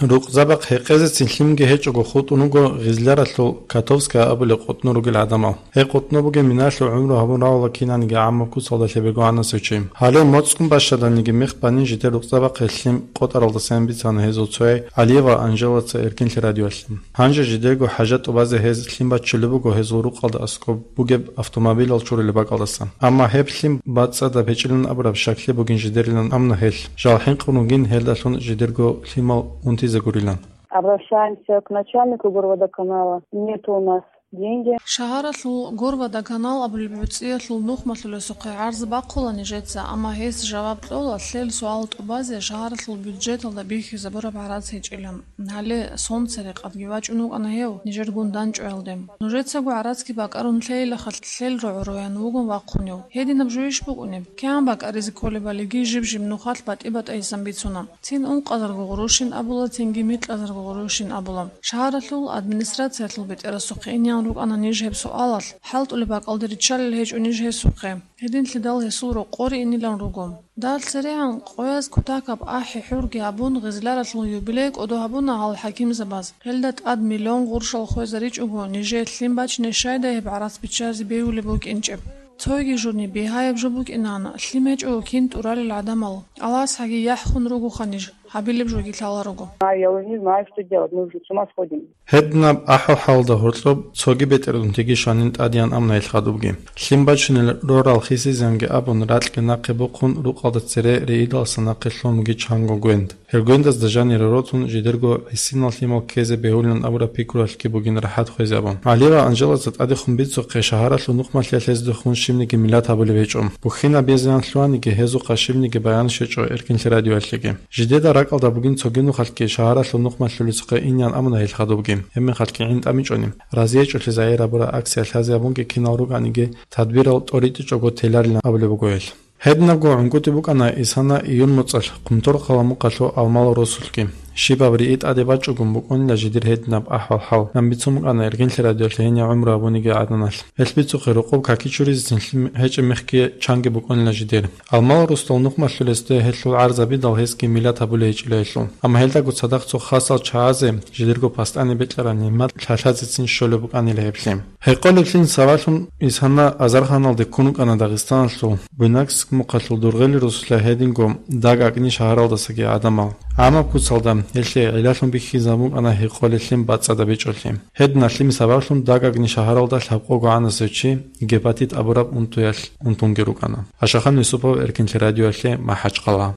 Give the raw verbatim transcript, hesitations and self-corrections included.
Рукъзабахъ гьекъезецин лъимги гьечӀого хутӀун вуго Гъизляралъул Котовская абулеб къутӀну ругел гӀадамал. Гьеб къутӀну бугеб минаялъул гӀумру гьабун равала кинаниги гӀаммаб куцалда лъебего гӀанасев чи. Гьале моцӀгун бащаданиги мех бани жидер рукъзабахъе лъим къотӀаралдасан бицана гьезул цояй Алиева Анжелаца Эркинлъи радиоялъе. Гьанже жидерго хӀажат тӀубазе гьез лъим баччулеб буго гьезул рукъалда аскӀоб бугеб автомобилал чурулеб бакӀалдаса. Амма гьеб лъим бацӀцӀадаб гьечӀилан абураб щаклъи бугин жидерилан амна гьелъ. Жал хӀинкъун ругин гьелдалъун жидерго лъимал унтизе гурилан. Обращаемся к начальнику Горводоканала. Нет у нас деньги. Шагьаралъул Горводоканал абулеб гӀуцӀиялъул нухмалъулесухъе гӀарз бахъула нижеца, амма гьес жаваб кьола, лъел суал тӀубазе шагьаралъул бюджеталда бихьизабураб гӀарац гьечӀилан. Гьале сон церекъадги вачӀун вукӀана гьев нижергун данчӀваялде. Нужецаго гӀарацги бакӀарун лъейилаха, лъел рогӀо-роян вугун вахъунев. Гьединаб жо иш букӀунеб? КигӀан бакӀаризе кколебалиги жиб-жиб нухалъ батӀи-батӀайисан бицуна. Цин ункъазарго гъурущин абула, цинги микьазарго гъурущин абула. Шагьаралъул администрациялъул бетӀерасухъе инеян рукӀана ниж гьеб суалалъ, хӀалтӀулеб бакӀалде риччалел гьечӀо ниж гьесухъе. Гьединлъидал гьесул рокъоре инилан руго. Дагь церегӀан къояз кутакаб ахӀи-хӀурги гьабун, Гъизляралъул юбилей кӀодо гьабуна гьал хӀакимзабаз. Гьелда тӀад миллион гъурщал хвезаричӀого, нижее лъим бачине щайдай гьеб гӀарац биччазе бегьулеб букӀинчӀеб? Цойги журни бигьаяб жо букӀинан, лъим гьечӀого кин тӀуралел гӀадамал. Аллагьасхъаги яхӀ хун ругоха ниж, гьабилеб жоги лъаларого. А я уже не знаю, что делать, мы уже с ума сходим. Гьединаб ахӀвал-хӀалалда гьоркьоб цоги бетӀердунтиги щванин тӀадеян амна гьелъ хадубги. Лъим бачунел рорал хисизанги абун ракьги нахъе бухъун, рукъалда цере рейидалса нахъе лъун буги чанго гвенд. Гьел гвендазда жанире ротун, жидерго гӀисинал лъимал ккезе бегьулин абураб пикруялъги бугин рахӀат хвезе абун. Алиева Анжелаца тӀадехун бицухъе, шагьаралъул нухмалъиялъ гьездехун щибниги миллат гьабулеб гьечӀо. Бухьинаб безиян лъугьаниги гьезухъа щибниги баян щвечӀо Эркинлъи радиоялъеги. Жидеда ракӀалда бугин цоги нухалъги шагьаралъул нухмалъулесухъе инеян амуна гьелъ хадубги, гьебмехалъги гӀин тӀамичӀони, разиячӀолъи загьир гьабураб акция лъазе гьабунги кинал рукӀаниги, тадбирал тӀоритӀичӀого теларилан абулеб буго гьелъ. Гьединабго гӀунгутӀи букӀана Исана июль моцӀалъ Хъумторхъала мухъалъул Алмал росулъги. Щибаб рии тӀаде бачӀугун букӀунила жидер гьединаб ахӀвал-хӀал, нан бицун букӀана Эркинлъи радиоялъе гьенив гӀумру гьабунигиан гӀаданалъ. Гьелъ бицухъе рокъоб каки чуризецин лъим гьечӀеб мехги чанги букӀунила жидер. Алмал росдал нухмалъулесде гьелъул гӀарзабидал гьесги миллат гьабулей гьечӀила гьелъул. Амма гьелдаго цадахъ цо хасал чагӀазе жидерго пастани бекьараб нигӀмат лъалъазецин щолеб букӀанила гьеб лъим. Гьекъолеблъин сабаблъун Исана азарханалде ккун вукӀана Дагъистаналъул Буйнакск мухъалъул Дургъели росулъа гьединго Даг-АкӀни шагьаралдасаги гӀадамал. ГӀамаб куцалда гьелъие гӀиллалъун бихьизабун букӀана гьекъолеблъин бацӀцӀадаб гьечӀолъи. Гьедин лъимер сабаблъун Даг-АкӀни шагьаралда лъабкъого гӀанасев чи гепатит абураб унтуялъ унтунги рукӀана. Ашахан Юсупов, Эркинлъи радиоялъе, МахӀачхъала.